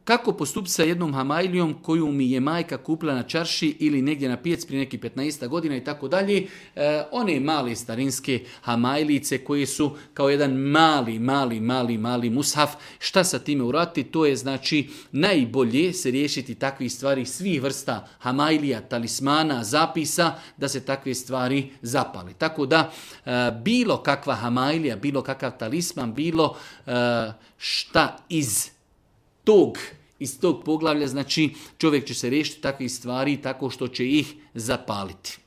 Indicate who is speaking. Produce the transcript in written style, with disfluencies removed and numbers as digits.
Speaker 1: Kako postupiti sa jednom hamailijom koju mi je majka kupila na čarši ili negdje na pijac prije nekih 15 godina i tako dalje. One male starinske hamailice koje su kao jedan mali mushaf. Šta sa time uraditi? To je znači najbolje se riješiti takvih stvari, svih vrsta hamailija, talismana, zapisa, da se takve stvari zapali. Tako da bilo kakva hamailija, bilo kakav talisman, bilo šta iz tog poglavlja, znači čovjek će se riješiti takvih stvari tako što će ih zapaliti.